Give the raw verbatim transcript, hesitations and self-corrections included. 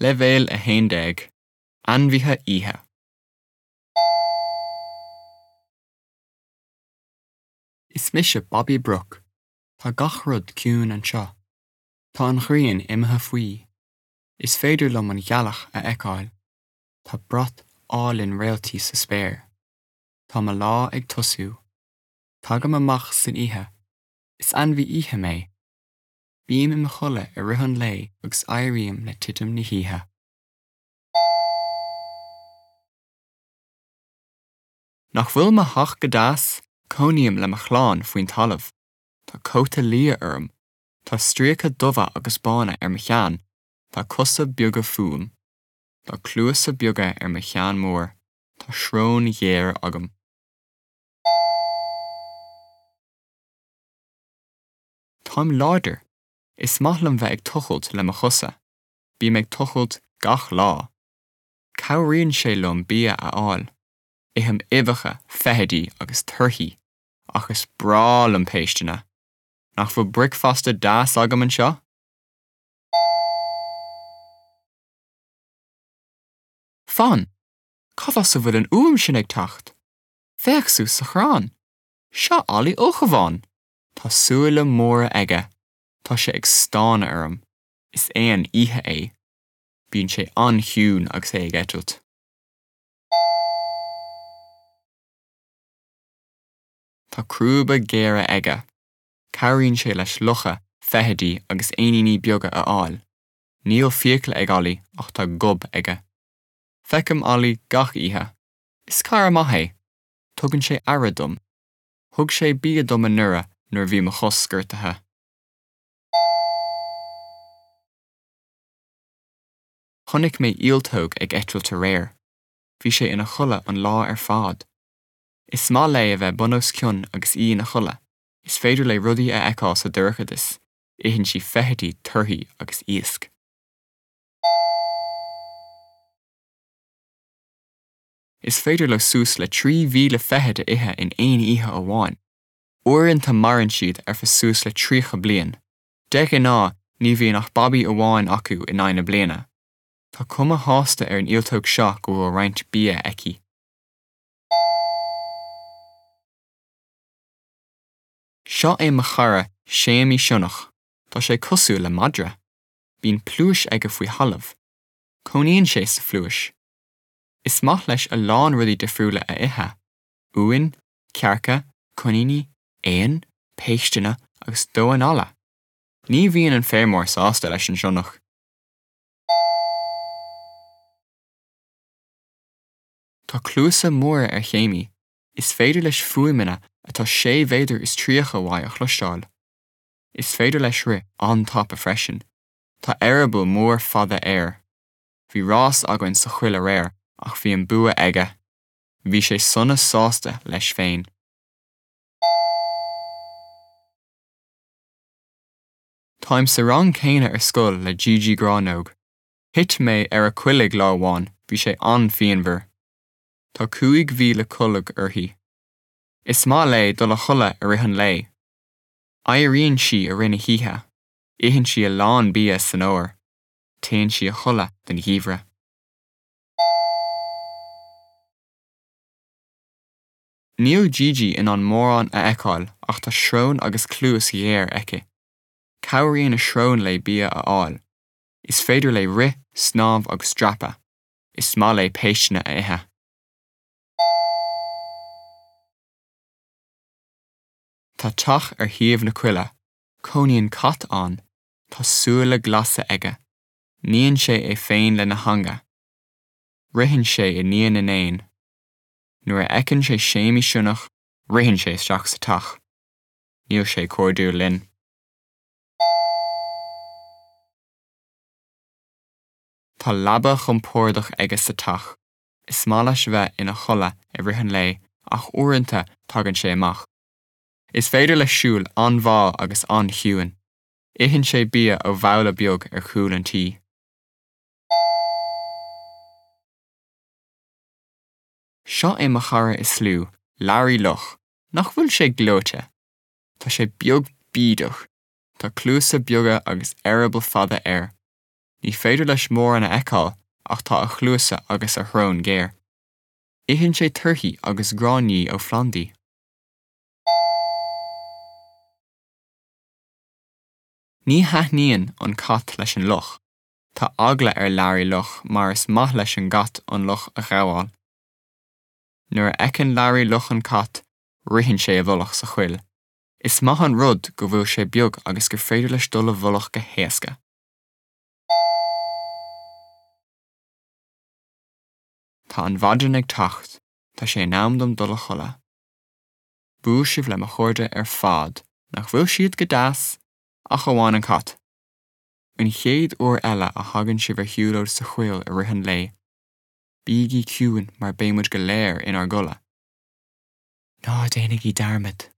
Leibhéal a haon déag, Ainmhithe Oíche. Is mise Babaí Broc. Tá gach rud ciúin anseo. Tá an ghrian imithe faoi. Is féidir liom an ghealach a fheiceáil. Tá brat álainn réaltaí sa spéir. Tá mo lá ag tosú. Tagaim amach san oíche. Is ainmhí oíche mé. Bím i mo chodladh i rith an lae agus éirím le titim na hoíche. Nach bhfuil mo theach go deas? Cónaím le mo chlann faoin talamh. Tá cóta liath orm. Tá stríoca dubha agus bána ar mo cheann. Tá cosa beaga fúm. Tá cluasa beaga ar mo cheann mór. Tá srón ghéar agam. Táim láidir. Is maith liom bheith ag tochailt le mo chosa. Bím ag tochailt gach lá. Cabhraíonn sé liom bia a fháil. Ithim uibheacha, feithidí agus torthaí, ach is breá liom péisteanna. Nach bhfuil bricfeasta deas agam anseo? Fan! Cá as a bhfuil an fhuaim sin ag teacht? Féach suas sa chrann. Seo Ollie Ulchabhán. Tá súile móra aige. Tá sé ag stánadh orm. Is éan oíche é. Bíonn sé an-chiúin agus é ag eitilt. Tá crúba géara aige. Cabhraíonn sé leis lucha, feithidí agus éiníní beaga a fháil. Níl fiacla ag Ollie ach tá gob aige. Feicim Ollie gach oíche. Is cara maith é. Tugann sé aire dom. Thug sé bia dom anuraidh nuair a bhí mo chos gortaithe. Chonaic mé ialtóg ag eitilt aréir. Bhí sé ina chodladh an lá ar fad. Is maith léi a bheith bun os cionn agus í ina chodladh. Is féidir léi rudaí a fheiceáil sa dorchadas. Itheann sí feithidí, torthaí agus iasc. Is féidir leo suas le trí mhíle feithid a ithe in aon oíche amháin. Uaireanta maireann siad ar feadh suas le tríocha bliain. De ghnáth ní bhíonn ach babaí amháin acu in aghaidh na bliana. Tá cuma shásta ar an ialtóg seo go bhfuil roinnt bia aici. Seo é mo chara Séamaí Sionnach. Tá sé cosúil le madra. Bíonn pluais aige faoi thalamh. Cónaíonn sé sa phluais. Is maith leis a lán rudaí difriúla a ithe. Uain, cearca, coiníní, éin, péisteanna agus damháin alla. Ní bhíonn an feirmeoir sásta leis an sionnach. Tá cluasa móra ar Shéamaí. Is féidir leis fuaimeanna atá sé mhéadar is tríocha uaidh a chloisteáil. Is féidir leis rith an-tapa freisin. Tá eireaball mór fada air. Bhí rás againn sa choill aréir ach bhí an bua aige. Bhí sé sona sásta leis féin. Táim sa rang céanna ar scoil le Gigi Gránóg. Thit mé ar a coiligh lá amháin, bhí sé an-phianmhar. Tá cúig mhíle colg uirthi. Is maith léi dul a chodladh i rith an lae. Éiríonn sí i rith na hoíche. Itheann sí a lán bia san fhómhar. Téann sí a chodladh don gheimhreadh. Níl Gigi in ann mórán a fheiceáil ach tá srón agus cluas ghéar aici. Cabhraíonn a srón léi bia a fháil. Is féidir léi rith, snámh agus dreapadh. Is maith léi péisteanna a ithe. Tá teach ar thaobh na coille. Cónaíonn cat ann. Tá súile glasa aige. Níonn sé é féin lena theanga. Ritheann sé i ndiaidh na n-éan. Nuair a fheiceann sé Séamaí Sionnach, ritheann sé isteach sa teach. Níl sé cairdiúil linn. Tá leaba chompordach aige sa teach. Is maith leis bheith ina chodladh i rith an lae ach uaireanta tagann sé amach. Is féidir leis siúl an-mhall agus an-chiúin. Itheann sé bia ó bhabhla beag ar chúl an tí. Seo é mo chara is lú, Learaí Luch. Nach bhfuil sé gleoite? Tá sé beag bídeach. Tá cluasa beaga agus eireaball fada air. Ní féidir leis mórán a fheiceáil ach tá a chluasa agus a shrón géar. Itheann sé torthaí agus gráinní ó phlandaí. Ní thaitníonn an cat leis an luch. Tá eagla ar Larry Luch mar is maith leis an gcat an luch a ghabháil. Nuair a fheiceann Larry Luch an cat, ritheann sé i bhfolach sa choill. Is maith an rud go bhfuil sé beag agus gur féidir leis dul i bhfolach go héasca. Tá an mhaidin ag teacht, tá sé in am dom dul a chodladh. Bhuail sibh le mo chairde ar fad, nach bhfuil siad go deas, ach amháin an cat. An chéad uair eile a thagann sibh ar shiúlóid sa choill i rith an lae, bígí ciúin mar beidh muid go léir inár gcodladh. Ná déanaigí dearmad.